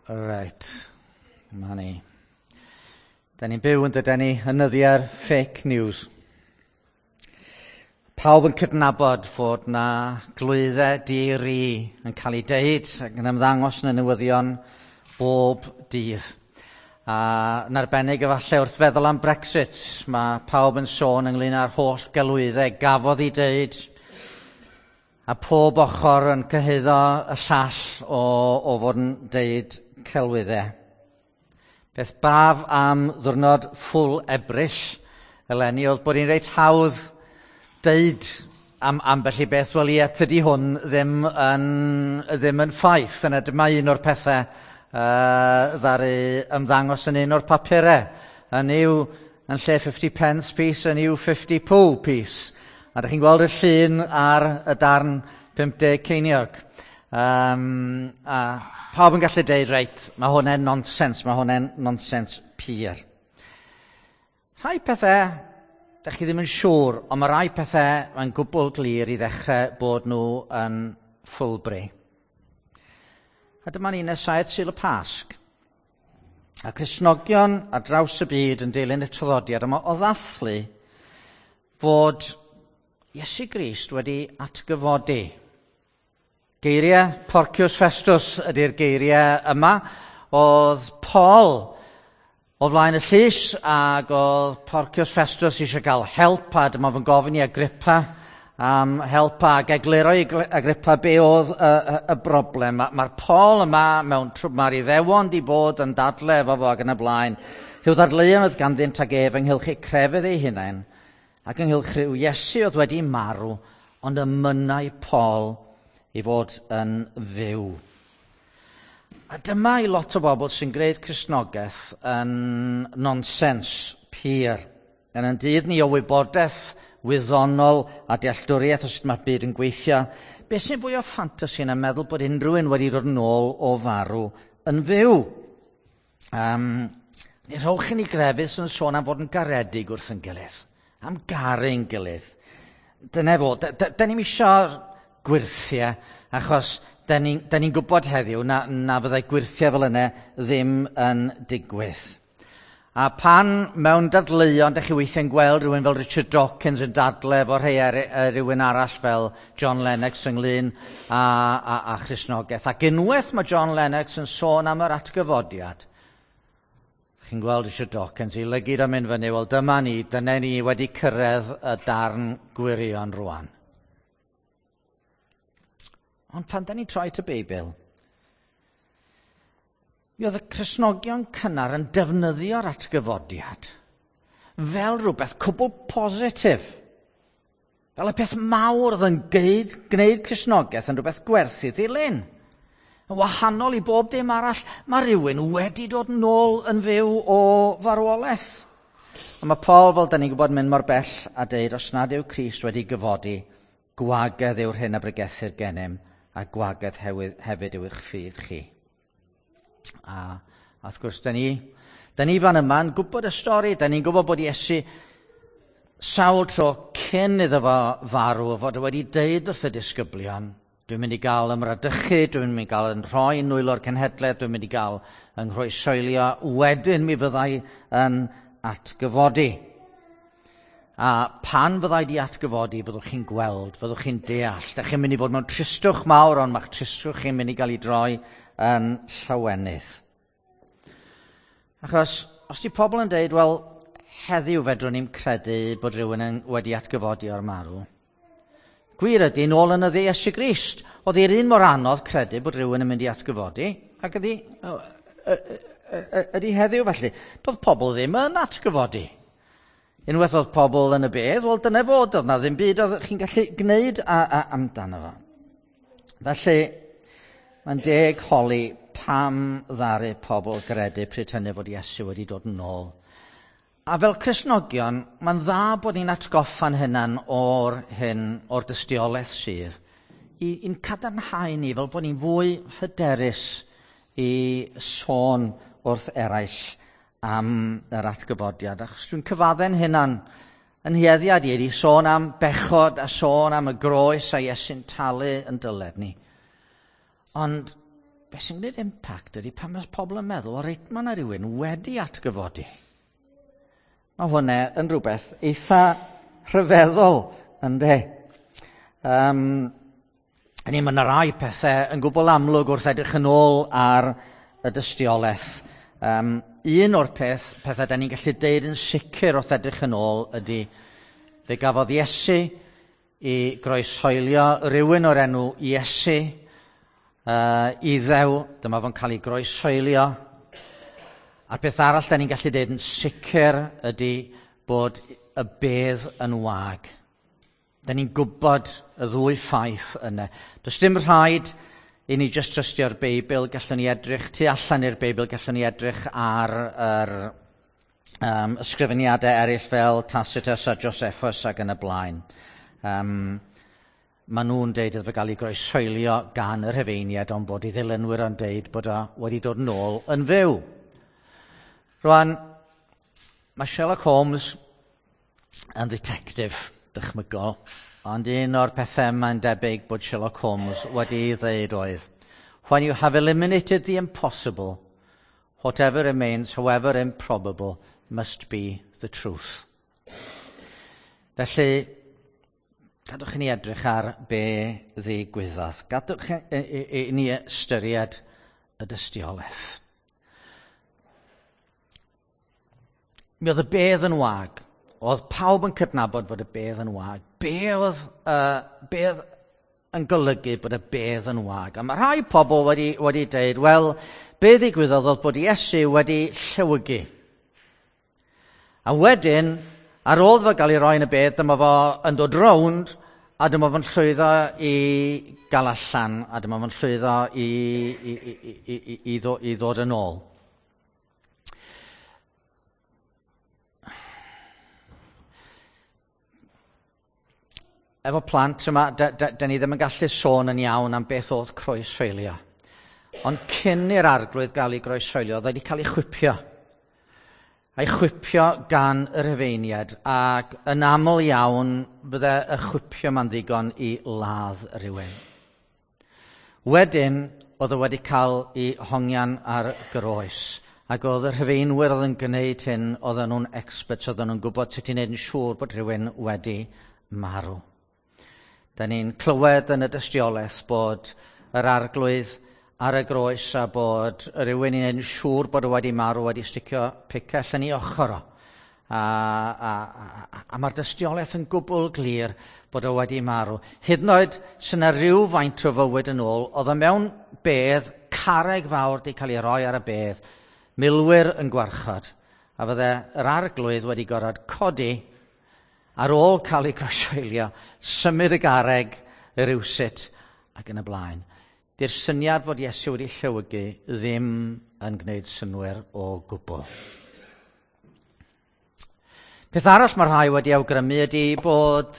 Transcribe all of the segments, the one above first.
Reit, ma ni. Da ni'n byw yn dydyn ni yn nyddiau'r fake news. Pawb yn cydnabod fod na glwyddau di-ri yn cael ei deud ac yn ymddangos yn y newyddion bob dydd. A yn arbennig efallai wrth feddwl am Brexit, mae pawb yn sôn ynglyn â'r holl gelwyddau gafodd ei deud a pob ochr yn cyhuddo y llall o fod yn deud celwyddau. Beth braf am ddwrnod ffwl Ebrill eleni oedd bod hi'n reit hawdd deud am ambell i beth, wel ie, tydi hwn ddim yn ffaith. Yna dyma un o'r pethau ddaru ymddangos yn un o'r papurau. Yn yw, yn lle 50 pence piece, yn yw 50 poo piece. A ydych chi'n gweld y llun ar y darn 50 ceiniog. A pawb yn gallu deud, reit, mae hwnna'n nonsens, mae hwnna'n nonsens pur. Rhai pethau, dych chi ddim yn siŵr, ond mae rhai pethau mae'n gwbl glir i ddechrau bod nhw yn ffwlbri. A dyma ni'n nesau at Sul y Pasg. A Cristnogion ar draws y byd yn dilyn y traddodiad yma o ddathlu fod Iesu Grist wedi atgyfodi. Geiriau Porcius Festus ydy'r geiriau yma. Oedd Paul o flaen y llys ac oedd Porcius Festus eisiau cael help a dyma fo'n gofyn i Agrippa am help ac egluro i Agrippa be oedd y broblem. Mae'r Paul yma mewn mae'r Iddewon di bod yn dadle efo fo ac yn y blaen. Rhyw ddadleuon oedd ganddynt ag ef ynghylch eu crefydd eu hunain ac ynghylch rhyw Iesu oedd wedi marw, ond y mynnai Paul i fod yn fyw. A dyma i lot o bobl sy'n gwneud Cristnogaeth yn nonsens pur. Yn ein dydd ni o wybodaeth wyddonol a dealltwriaeth o sut mae'r byd yn gweithio, beth sy'n fwy o ffantasi na meddwl bod unrhyw un wedi dod yn ôl o farw yn fyw? Ni rhowch i ni grefydd sy'n sôn am fod yn garedig wrth yn gilydd, am garu'n gilydd. Dyna fo, da ni'm isio gwyrthiau, achos da ni'n gwybod heddiw na fyddai gwyrthiau fel yna ddim yn digwydd. A pan mewn dadleuon, dach chi weithiau'n gweld rhywun fel Richard Dawkins yn dadle efo rhai rhywun arall fel John Lennox ynglyn â Christnogaeth. Ac unwaith mae John Lennox yn sôn am yr atgyfodiad, chi'n gweld Richard Dawkins i lygid am mynd fyny, wel dyma ni, dyna ni wedi cyrraedd y darn gwirion rwan. Ond pan da ni'n troi at y Beibl, mi oedd y Cristnogion cynnar yn defnyddio'r atgyfodiad fel rhywbeth cwbl positif. Fel y peth mawr oedd yn gwneud Cristnogaeth yn rhywbeth gwerth i ddilyn. Yn wahanol i bob dim arall, mae rhywun wedi dod nôl yn fyw o farwolaeth. A mae Paul, fel da ni'n gwybod, mynd mor bell a deud, os nad yw Crist wedi gyfodi, gwagedd yw'r hyn a bregethir gennym, a gwagedd hefyd yw eich ffydd chi. A wrth gwrs, da ni fan yma'n gwybod y stori, da ni'n gwybod bod Iesu sawl tro cyn iddo fo farw, fod o wedi deud wrth y disgyblion, dwi'n mynd i gael ymradychu, dwi'n mynd i gael yn rhoi nwylo'r cenhedlaeth, dwi'n mynd i gael yng nghroesoelio, wedyn mi fyddai yn atgyfodi. A pan fyddai di atgyfodi, byddwch chi'n gweld, byddwch chi'n deall. Dach chi'n mynd i fod mewn tristwch mawr, ond mae'ch tristwch chi'n mynd i gael ei droi yn llawenydd. Achos, os di pobl yn deud, wel, heddiw fedrwn ni'm credu bod rhywun wedi atgyfodi o'r marw. Gwir ydy, nôl yn y dde Iesu Grist, oedd hi'r un mor anodd credu bod rhywun yn mynd i atgyfodi, ac ydy heddiw felly. Doedd pobl ddim yn atgyfodi. Unwaith oedd pobl yn y bedd, wel dyna fod, oedd na ddim byd oedd chi'n gallu gwneud amdano fo. Felly, mae'n deg holi pam ddaru pobl gredu pryd hynny fod Iesu wedi dod yn ôl. A fel Cristnogion, mae'n dda bod ni'n atgoffa'n hunan o'r hyn, o'r dystiolaeth sydd, i'n cadarnhau ni fel bod ni'n fwy hyderus i sôn wrth eraill am yr atgyfodiad. Achos dwi'n cyfadde'n hunan yn hieddiad i sôn am bechod a sôn am y groes a Iesu'n talu yn dyled ni. Ond Beth sy'n gwneud impact ydy pan mae pobl yn meddwl, o reit, mae yna rhywun wedi atgyfodi. Mae hwnna yn rhywbeth eitha rhyfeddol, ynde? Ni, mae yna rai pethau yn gwbl amlwg wrth edrych yn ôl ar y dystiolaeth. Un o'r pethau da ni'n gallu deud yn sicr wrth edrych yn ôl ydy fe gafodd Iesu i groeshoelio rhywun o'r enw Iesu, Iddew, dyma fo'n cael ei groeshoelio. A'r peth arall da ni'n gallu deud yn sicr ydy bod y bedd yn wag. Da ni'n gwybod y ddwy ffaith yna. Does dim rhaid i ni jyst trystio'r Beibl, gallwn ni edrych tu allan i'r Beibl, gallwn ni edrych ar yr ysgrifeniadau eraill fel Tacitus a Josephus ac yn y blaen. Maen nhw'n deud iddo fe gael ei groeshoelio gan y Rhufeiniaid, ond bod ei ddilynwyr yn deud bod o wedi dod nôl yn fyw. Rwan, mae Sherlock Holmes yn ddetectif dychmygol, ond un o'r pethau mae'n debyg bod Sherlock Holmes wedi ei ddeud oedd, "When you have eliminated the impossible, whatever remains, however improbable, must be the truth." Felly, gadwch i ni edrych ar be ddigwyddodd. Gadwch i ni ystyried y dystiolaeth. Mi oedd y bedd yn wag. Oedd pawb yn cydnabod fod y bedd yn wag. Be oedd yn golygu bod y bedd yn wag? A mae rhai pobl wedi deud, wel, be ddigwyddodd oedd bod Iesu wedi llewygu. A wedyn, ar ôl fo gael ei roi yn y bedd, dyma fo yn dod rownd, a dyma fo'n llwyddo i gael allan, a dyma fo'n llwyddo i ddod yn ôl. Efo plant yma, da ni ddim yn gallu sôn yn iawn am beth oedd croeshoelio. Ond cyn i'r arglwydd gael ei groeshoelio, oedd wedi cael ei chwipio. A'i chwipio gan y Rhufeiniaid, ac yn aml iawn bydde y chwipio ma'n ddigon i ladd rhywun. Wedyn, oedd o wedi cael ei hongian ar groes, ac oedd y Rhufeinwyr oedd yn gwneud hyn, oedden nhw'n experts, oedden nhw'n gwybod sut i wneud yn siŵr bod rhywun wedi marw. Da ni'n clywed yn y dystiolaeth bod yr arglwydd ar y groes a bod rhywun i'n siŵr bod o wedi marw wedi sticio picell yn ei ochr o. A mae'r dystiolaeth yn gwbl glir bod o wedi marw. Hyd yn oed sy'n yna rhyw faint o fywyd yn ôl, oedd o mewn bedd, carreg fawr wedi cael ei roi ar y bedd, milwyr yn gwarchod, a fydde yr arglwydd wedi gorfod codi ar ôl cael ei groeshoelio, symud y garreg rywsut ac yn y blaen. Di'r syniad fod Iesu wedi llewygu ddim yn gwneud synnwyr o gwbl. Peth arall mae rhai wedi awgrymu ydy bod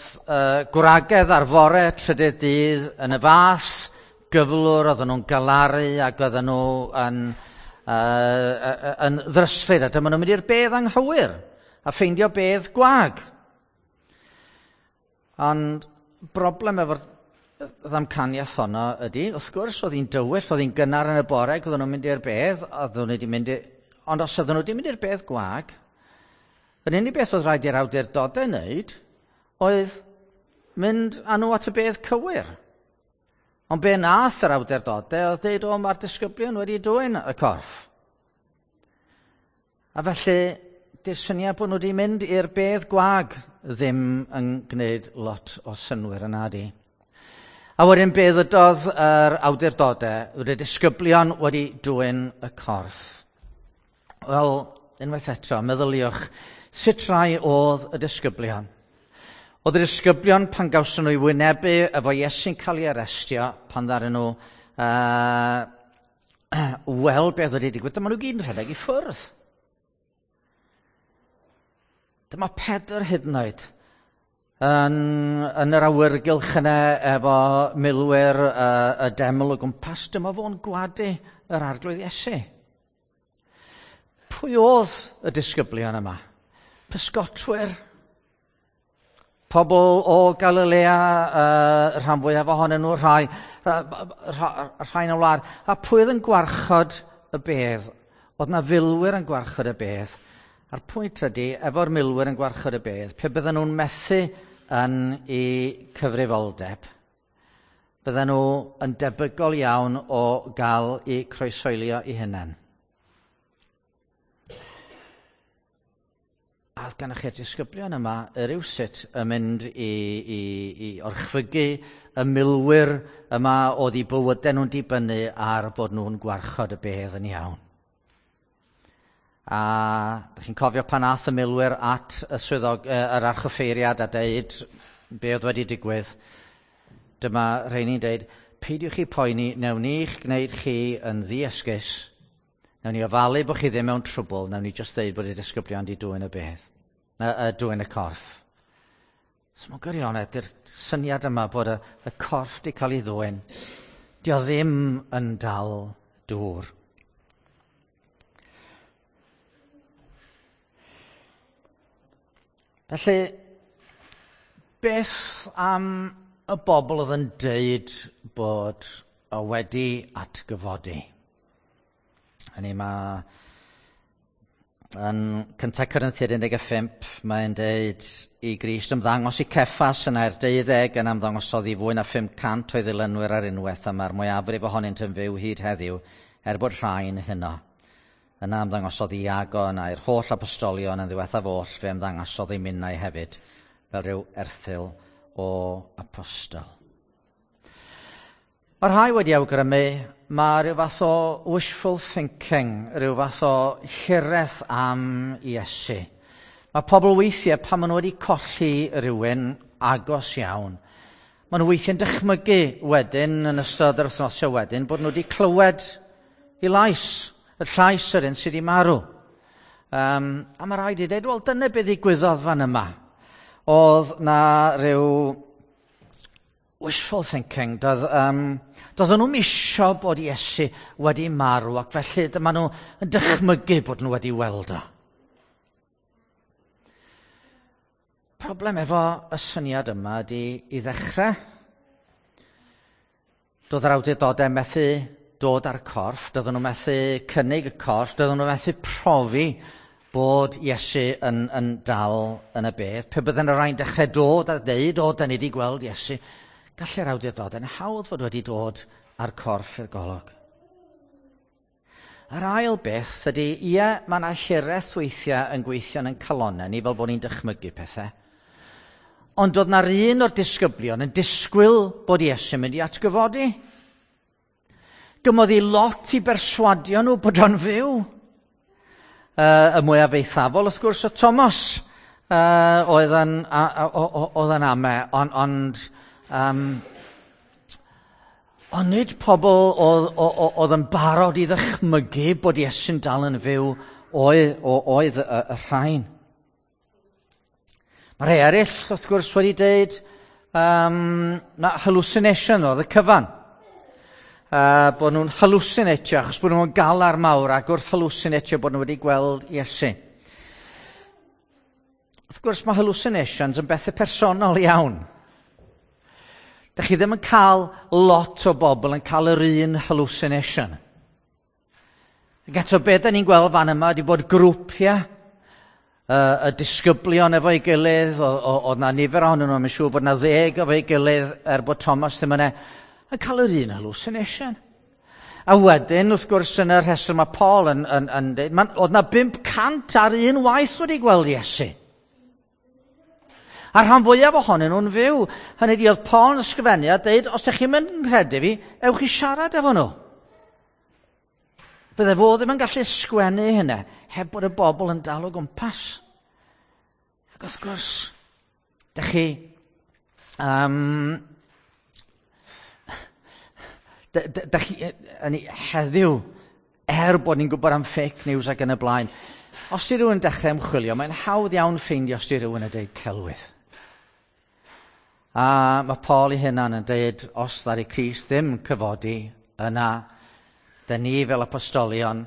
gwragedd ar fore trydydd dydd yn y fath gyflwr, oedden nhw'n galaru ac oedden nhw yn ddryslyd, a dyma nhw'n mynd i'r bedd anghywir a ffeindio bedd gwag. Ond broblem efo'r ddamcaniaeth honno ydy, wrth gwrs, oedd hi'n dywyll, oedd hi'n gynnar yn y bore, oedden nhw'n mynd i'r bedd, oedden nhw wedi mynd i, ond os oedden nhw wedi mynd i'r bedd gwag, yr unig beth oedd rhaid i'r awdurdodau wneud oedd mynd â nhw at y bedd cywir. Ond be nath yr awdurdodau oedd dweud, o, mae'r disgyblion wedi dwyn y corff. A felly, di'r syniad bod nhw wedi mynd i'r bedd gwag ddim yn gwneud lot o synnwyr yna di. A wedyn be ddydodd yr awdurdodau, oedd y disgyblion wedi dwyn y corff. Wel, unwaith eto, meddyliwch, sut rai oedd y disgyblion? Oedd y disgyblion pan gawson nhw i wynebu efo Iesu'n cael ei arestio, pan ddaru nhw weld beth wedi digwydd, dyma nhw gyd yn rhedeg i ffwrdd. Dyma Pedr hyd yn oed yn yr awyrgylch yna efo milwyr y deml o gwmpas, dyma fo'n gwadu yr arglwydd Iesu. Pwy oedd y disgyblion yma? Pysgotwyr? Pobl o Galilea, rhan fwyaf ohonyn nhw, rhai, rhai yn y wlad. A pwy oedd yn gwarchod y bedd? Oedd na filwyr yn gwarchod y bedd. A'r pwynt ydy, efo'r milwyr yn gwarchod y bedd, pe bydden nhw'n methu yn eu cyfrifoldeb, bydden nhw yn debygol iawn o gael eu croeshoelio eu hunain. A oedd gennych chi'r disgyblion yma rywsut yn mynd i, i, i orchfygu y milwyr yma oedd eu bywydau nhw'n dibynnu ar bod nhw'n gwarchod y bedd yn iawn. A da chi'n cofio pan ath y milwyr at y swyddog, yr archoffeiriad a deud be oedd wedi digwydd. Dyma rheini'n deud, peidiwch chi poeni, newn ni'ch gwneud chi yn ddiesgus. Nawn ni ofalu bod chi ddim mewn trwbl, nawn ni jyst ddeud bod y disgyblion di dwyn y bedd, na, dwyn y corff. So mewn gwirionedd, dy'r syniad yma bod y, y corff di cael ei ddwyn, di o ddim yn dal dŵr. Felly, beth am y bobl oedd yn deud bod o wedi atgyfodi? Hynny mae yn 1 Corinthiaid 15, mae'n deud i Grist ymddangos i Ceffas yn air 12 yn ymddangosodd i fwy na 500 o'i ddilynwyr ar unwaith a mae'r mwyafrif ohonynt yn fyw hyd heddiw er bod rhai'n hyno. Yna ymddangosodd i Iago yna i'r holl apostolion yn ddiwethaf oll fe ymddangosodd i minnau hefyd fel rhyw erthygl o apostol. Mae rhai wedi awgrymu mae rhyw fath o wishful thinking, rhyw fath o hiraeth am Iesu. Mae pobl weithiau pan maen nhw wedi colli rhywun agos iawn, maen nhw weithiau'n dychmygu wedyn yn ystod yr wythnosau wedyn bod nhw wedi clywed i lais, y llais yr un sydd wedi marw. Um, a mae rhaid i dweud, wel dyna beth ddigwyddodd fan yma. Oedd na rhyw wishful thinking. Doedd, um, doedden nhw'n isio bod Iesu wedi marw ac felly dyma nhw yn dychmygu bod nhw wedi weld o. Problem efo y syniad yma ydy i ddechrau. Doedd yr awdurdodau methu dod â'r corff, doedden nhw methu cynnig y corff, doedden nhw methu profi bod Iesu yn, yn dal yn y bedd. Pe bydden y rhain dechrau dod a dweud, o, da ni wedi gweld Iesu, gallai'r awdurdodau'n hawdd fod wedi dod â'r corff i'r golwg. Yr ail beth ydy, ie, mae yna hiraeth weithiau yn gweithio yn calonau ni fel bod ni'n dychmygu pethau. Ond doedd na'r un o'r disgyblion yn disgwyl bod Iesu'n mynd i atgyfodi. Gymodd i lot i berswadio nhw bod o'n fyw. Uh, y mwyaf eithafol, wrth gwrs, o Thomas uh, oedd yn, a, a, oedd yn ame, ond, ond, um, ond nid pobl oedd, oedd yn barod i ddychmygu bod Iesu'n dal yn fyw oedd, oedd y, y rhain. Mae rhai eraill, wrth gwrs, wedi dweud um, na hallucination oedd y cyfan. Uh, bod nhw'n hallucinatio, achos bod nhw'n galar mawr ac wrth hallucinatio bod nhw wedi gweld Iesu. Wrth gwrs, mae hallucinations yn bethau personol iawn. Dych chi ddim yn cael lot o bobl yn cael yr un hallucination. Ac eto, be da ni'n gweld fan yma ydy bod grwpiau y disgyblion efo'i gilydd, oedd na nifer ohonyn nhw, mae'n siŵr bod na ddeg efo'i gilydd, er bod Thomas ddim yna, yn cael yr un hallucination. A wedyn, wrth gwrs, yn y rhestr mae Paul yn, yn, yn dweud, oedd na 500 ar un waith wedi gweld Iesu. A rhan fwyaf ohonyn nhw'n fyw. Hynny di, oedd Paul yn ysgrifennu a dweud, os ydych chi'n mynd yn credu fi, ewch i siarad efo nhw. Bydde fo ddim yn gallu sgwennu hynna heb bod y bobl yn dal o gwmpas. Ac wrth gwrs, dych chi... Um, dych chi, yn heddiw, er bod ni'n gwybod am fake news ac yn y blaen, os di rhywun dechrau ymchwilio, mae'n hawdd iawn ffeindio os di rhywun yn dweud celwydd. A mae Paul ei hunan yn dweud, os ddaru Crist ddim cyfodi, yna, da ni fel apostolion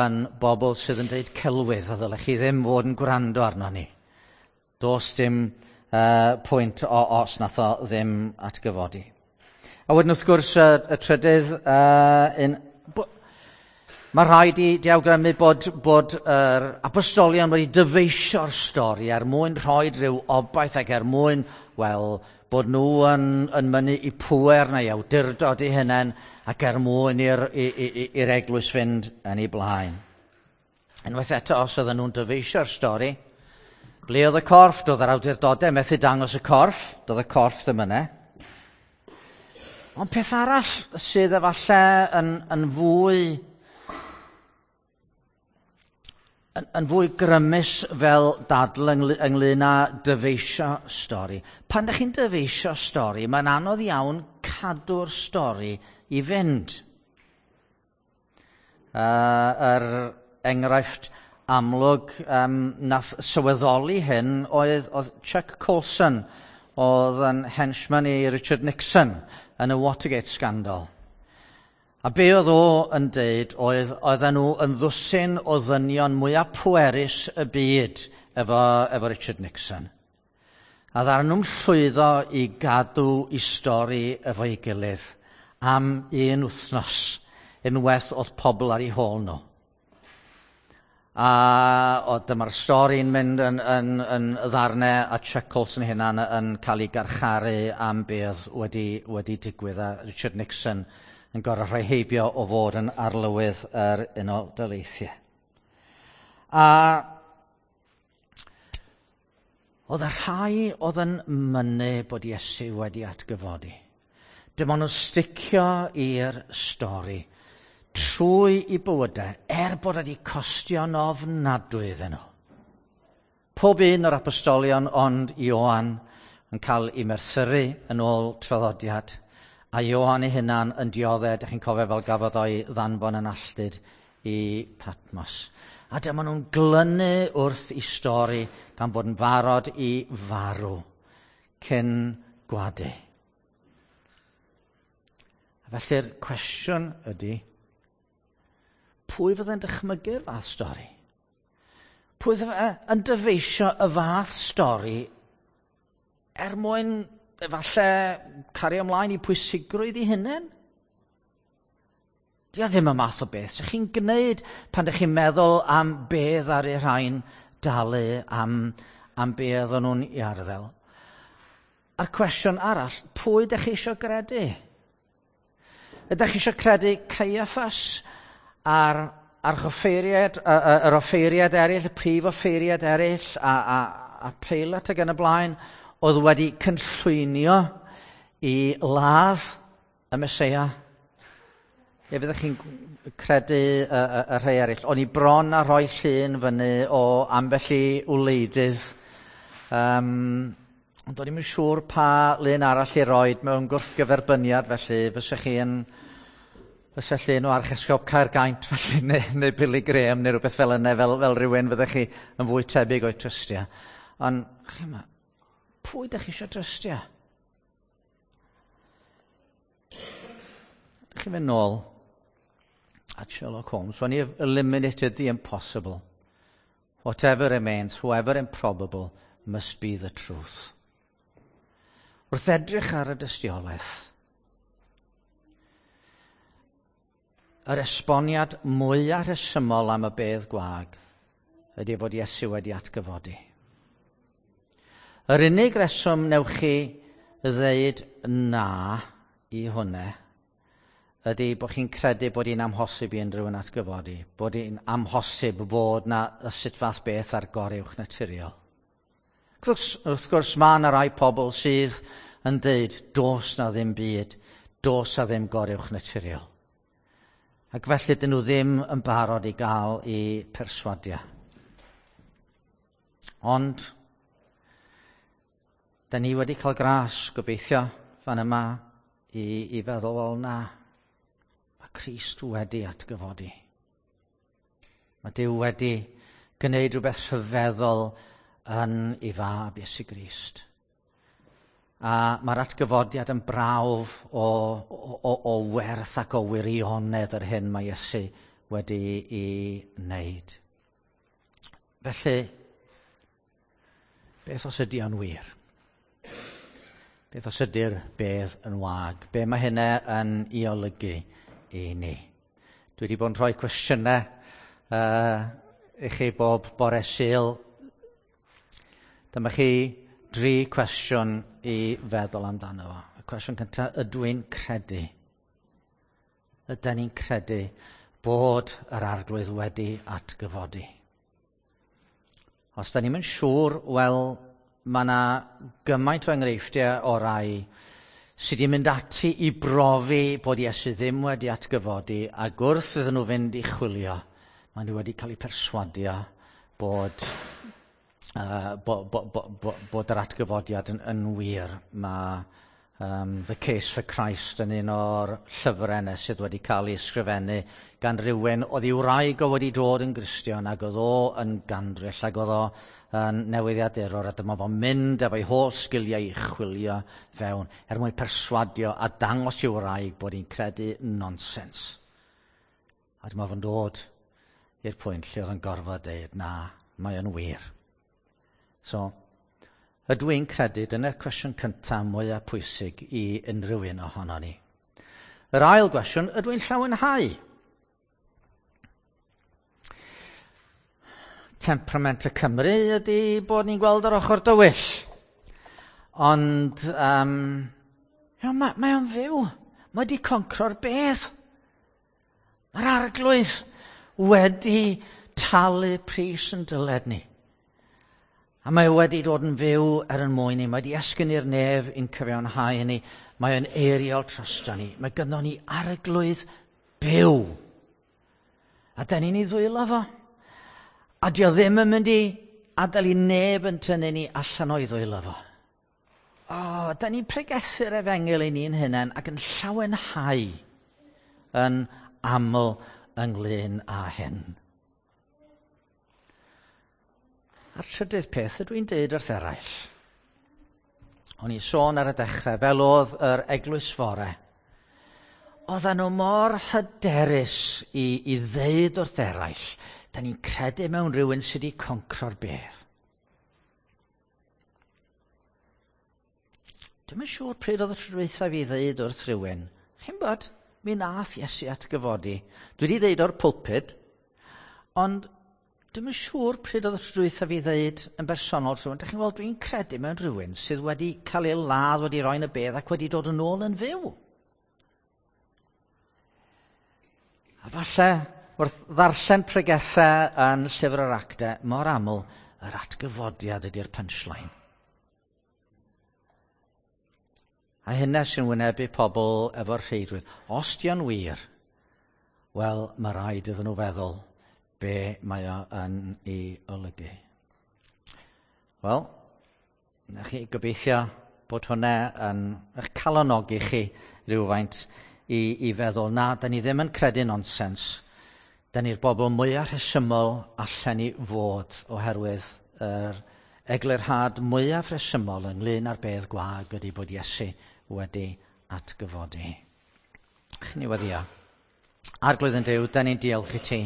yn bobl sydd yn dweud celwydd, a ddylech chi ddim fod yn gwrando arno ni. Does dim pwynt o, os nath o ddim atgyfodi. A wedyn wrth gwrs y trydydd, mae rhaid i awgrymu bod yr apostolion wedi dyfeisio'r stori er mwyn rhoi rhyw obaith ac er mwyn, wel, bod nhw yn mynnu i pŵer neu awdurdod eu hunain ac er mwyn i'r eglwys fynd yn ei blaen. Unwaith eto, os oedden nhw'n dyfeisio'r stori, ble oedd y corff? Doedd yr awdurdodau methu dangos y corff, doedd y corff ddim yna. Ond peth arall sydd efallai yn fwy grymus fel dadl ynglyn â dyfeisio stori. Pan ydych chi'n dyfeisio stori, mae'n anodd iawn cadw'r stori i fynd. Yr enghraifft amlwg nath sylweddoli hyn oedd Chuck Colson, oedd yn henchman i Richard Nixon yn y Watergate scandal. A be oedd o yn deud oedd oedden nhw yn ddwsin o ddynion mwyaf pwerus y byd efo Richard Nixon. A ddaru nhw'n llwyddo i gadw i stori efo'i gilydd am un wythnos unwaith oedd pobl ar eu hôl nhw. A o, dyma'r stori'n mynd yn ddarnau a Chuck Colson hunan yn cael ei garcharu am beth wedi digwydd a Richard Nixon yn gorfod rhoi heibio o fod yn arlywydd yr Unol Daleithiau. A oedd y rhai oedd yn mynnu bod Iesu wedi atgyfodi. Dim ond nhw'n sticio i'r stori trwy i bywydau, er bod wedi costio'n ofnadwy iddyn nhw. Pob un o'r apostolion ond Ioan yn cael ei merthyru yn ôl traddodiad, a Ioan ei hunan yn dioddef, ydych chi'n cofio fel gafodd o'i ddanfon yn alltud i Patmos. A dyma nhw'n glynu wrth i stori gan bod yn barod i farw cyn gwadu. A felly'r cwestiwn ydy, pwy fydde'n dychmygu'r fath stori? Pwy fydde yn dyfeisio y fath stori er mwyn efallai cario ymlaen i pwysigrwydd i hunain? Di o ddim y math o beth sy'ch chi'n gwneud pan ydych chi'n meddwl am beth ar ei rhain dalu am be oedden nhw'n ei arddel. A'r cwestiwn arall, pwy ydych chi eisiau gredu? Ydych chi eisiau credu Caiaffas a'r archoffeiriad, yr offeiriad eraill, y prif offeiriad eraill, a Peilat ac yn y blaen, oedd wedi cynllwynio i ladd y Meseia? Neu fyddech chi'n credu y rhai eraill? O'n i bron a rhoi llun fyny o ambell i wleidydd. Ond o'n i'm yn siŵr pa lun arall i roed mewn gwrthgyferbyniad, felly fysa chi yn fysa llun o Archesgob Caergaint felly, neu Billy Graham neu rhywbeth fel yna, fel rhywun fyddech chi yn fwy tebyg o'i trystio. Ond, chi'mo, pwy ydych chi eisiau trystio? Chi'n mynd nôl at Sherlock Holmes. When you've eliminated the impossible, whatever remains, however improbable, must be the truth. Wrth edrych ar y dystiolaeth, yr esboniad mwyaf rhesymol am y bedd gwag ydy bod Iesu wedi atgyfodi. Yr unig reswm newch chi ddeud na i hwnna ydy bod chi'n credu bod hi'n amhosib i unrhyw un atgyfodi, bod hi'n amhosib bod na y sut fath beth ar goruwch naturiol. Wrth gwrs, mae yna rai pobl sydd yn deud, dos na ddim byd, dos na ddim goruwch naturiol. Ac felly dyn nhw ddim yn barod i gael eu perswadio. Ond, da ni wedi cael gras, gobeithio, fan yma, i feddwl, wel na, mae Crist wedi atgyfodi. Mae Duw wedi gwneud rhywbeth rhyfeddol yn ei fab Iesu Grist. A mae'r atgyfodiad yn brawf o werth ac o wirionedd yr hyn mae Iesu wedi ei wneud. Felly, beth os ydy o'n wir? Beth os ydy'r bedd yn wag? Be mae hynna yn ei olygu i ni? Dwi wedi bod yn rhoi cwestiynau i chi bob bore Sul. Dyma chi dri cwestiwn i feddwl amdano fo. Y cwestiwn cyntaf, ydw i'n credu? Ydyn ni'n credu bod yr Arglwydd wedi atgyfodi? Os da ni'm yn siŵr, wel, mae yna gymaint o enghreifftiau o rai sydd wedi mynd ati i brofi bod Iesu ddim wedi atgyfodi, ac wrth iddyn nhw fynd i chwilio, maen nhw wedi cael eu perswadio bod yr atgyfodiad yn wir. Mae The Case for Christ yn un o'r llyfrau yna sydd wedi cael ei ysgrifennu gan rywun oedd ei wraig o wedi dod yn Gristion ac oedd o yn gandryll ac oedd o yn newyddiadurwr, a dyma fo'n mynd efo'i holl sgiliau i chwilio fewn er mwyn perswadio a dangos i'w wraig bod hi'n credu nonsens. A dyma fo'n dod i'r pwynt lle oedd yn gorfod deud, na, mae o'n wir. So, ydw i'n credu, dyna'r cwestiwn cyntaf mwyaf pwysig i unrhyw un ohono ni. Yr ail gwestiwn, ydw i'n llawenhau? Temperament y Cymru ydy bod ni'n gweld yr ochr dywyll. Ond mae o'n fyw. Mae wedi concro'r bedd. Mae'r Arglwydd wedi talu pris yn dyled ni. A mae wedi dod yn fyw er yn mwyn ni. Mae wedi esgyn i'r nef i'n cyfiawnhau ni. Mae o'n eiriol drosto ni. Mae gynno ni Arglwydd byw. A da ni'n ei ddwylo fo. A dio ddim yn mynd i adael i neb yn tynnu ni allan o'i ddwylo fo. O, da ni'n pregethu'r efengyl i ni'n hunain ac yn llawenhau yn aml ynglyn â hyn. A'r trydydd peth ydw i'n deud wrth eraill. O'n i'n sôn ar y dechrau, fel oedd yr eglwys fore. Oedden nhw mor hyderus i ddeud wrth eraill, da ni'n credu mewn rhywun sydd wedi concro'r bedd. Dwi'm yn siŵr pryd oedd y tro dwytha fi ddeud wrth rhywun, chi'n bod, mi nath Iesu atgyfodi. Dwi wedi ddeud o'r pulpud, ond dwi'm yn siŵr pryd oedd y tro dwytha fi ddeud yn bersonol wrth rhywun, dach chi'n gweld, dwi'n credu mewn rhywun sydd wedi cael ei ladd, wedi roi yn y bedd ac wedi dod yn ôl yn fyw. A falle, wrth ddarllen pregethau yn Llyfr yr Actau, mor aml, yr atgyfodiad ydy'r punchline. A hynna sy'n wynebu pobl efo'r rheidrwydd. Os di o'n wir, wel, mae rhaid iddyn nhw feddwl be mae o yn ei olygu. Wel, na chi gobeithio bod hwnna yn eich calonogi chi rhywfaint i feddwl, na, da ni ddim yn credu nonsens. Da ni'r bobl mwyaf rhesymol allan ni fod oherwydd yr eglurhad mwyaf rhesymol ynglyn â'r bedd gwag ydy bod Iesu wedi atgyfodi. Chyn i weddio. Arglwydd yn Duw, da ni'n diolch i ti.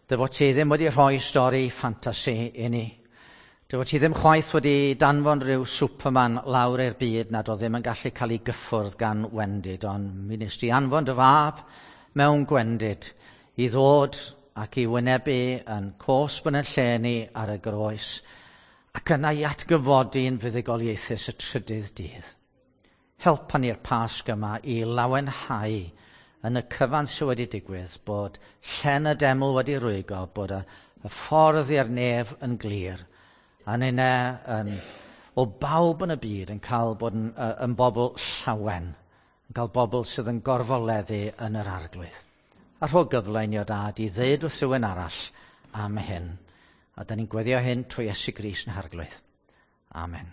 Dy fod ti ddim wedi rhoi stori ffantasi i ni. Dy fod ti ddim chwaith wedi danfon rhyw Superman lawr i'r byd nad oedd ddim yn gallu cael ei gyffwrdd gan wendid, ond mi wnes di anfon dy fab mewn gwendid i ddod ac i wynebu yn cosb yn y lle ni ar y groes, ac yna i atgyfodi yn fuddugoliaethus y trydydd dydd. Helpa ni'r Pasg yma i lawenhau yn y cyfan sydd wedi digwydd, bod llen y deml wedi rwygo, bod y ffordd i'r nef yn glir, a ninne o bawb yn y byd yn cael bod yn bobl llawen, yn cael bobl sydd yn gorfoleddu yn yr Arglwydd. A rho gyfle i ni o dad i ddeud wrth rhywun arall am hyn. A da ni'n gweddio hyn trwy Iesu Grist yn Harglwydd. Amen.